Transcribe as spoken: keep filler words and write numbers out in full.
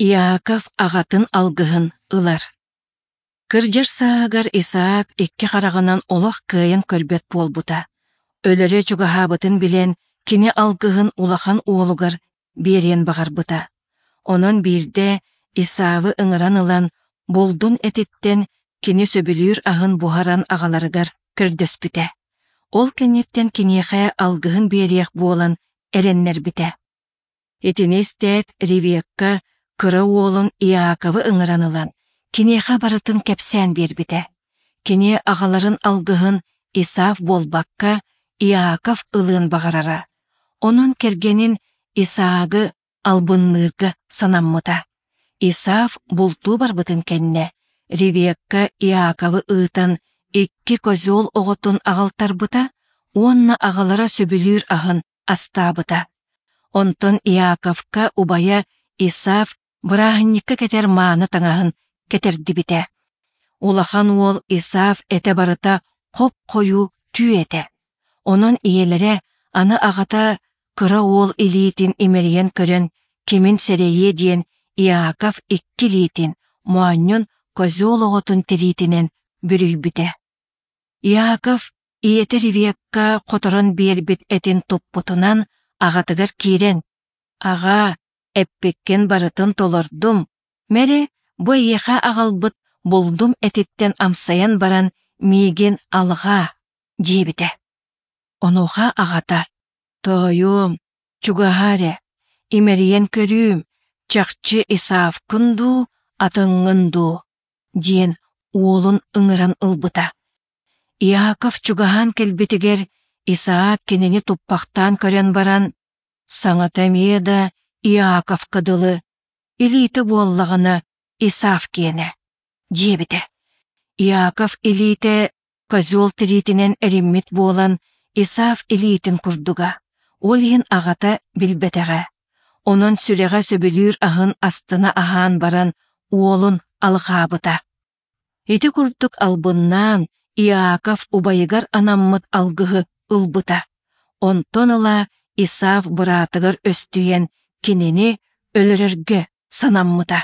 Иаков аҕатын алгыһын ылар. Кырдьар сааһыгар Исаак икки хараҕынан олох кыайан көрбөт буолбута. Өлөрө чугаһаабытын билэн, кини алгыһын улахан уолугар биэриэн баҕарбыта. Онон биирдэ Исавы ыҥыран ылан, булдун этиттэн кини сөбүлүүр аһын буһаран аҕаларыгар көрдөспүтэ. Ол кэнниттэн киниэхэ алгыһын биэриэх буолан эрэннэрбитэ. Итини истээт, Ревекка кыра уолун Иаковы ыҥыран ылан, киниэхэ барытын кэпсээн биэрбитэ. Кини аҕаларын алгыһын Исав буолбакка, Иаков ылыан баҕарара. Онон кэргэнин Исаагы албынныырга санаммыта. Исав бултуу барбытын кэннэ, Ревекка Иаковы ыытан икки козел оҕотун аҕалтарбыта уонна аҕалара сөбүлүүр аһын астаабыта. Онтон Иаковка убайа Исав бырааһынньыкка кэтэр мааны таҥаһын кэтэрдибитэ. Улахан уол Исав этэ барыта хоп-хойуу түү этэ. Онон ийэлэрэ аны аҕата кыра уол илиитин имэрийэн көрөн кимин сэрэйиэ диэн Иаков икки илиитин, моонньун козел оҕотун тириитинэн бүрүйбүтэ. Иаков ийэтэ Ревекка хоторон биэрбит этин туппутунан аҕатыгар киирэн: «Аҕаа, эппиккин барытын толордум, мэрэ, бу эйиэхэ аҕалбыт булдум этиттэн амсайан баран миигин алҕаа» диэбитэ. Онуоха аҕата: «Тоойуом, чугаһаа эрэ, имэрийэн көрүүм, чахчы Исавкын дуу, атыҥҥын дуу?» диэн уолун ыҥыран ылбыта. Иаков чугаһаан кэлбитигэр Исаак кинини туппахтаан көрөн баран, саҥата эмиэ да Иаковка дылы, илиитэ буоллаҕына Исав киэнэ, диэбитэ. Иаков илиитэ козел тириитинэн эриммит буолан, Исав илиитин курдуга, ол иһин аҕата билбэтэҕэ. Онон сүрэҕэ сөбүлүүр аһын астына аһаан баран уолун алҕаабыта. Ити курдук албыннаан Иаков убайыгар анаммыт алгыһы ылбыта. Онтон ыла Исав быраатыгар өстүйэн кинини өлөрөргө санаммыта.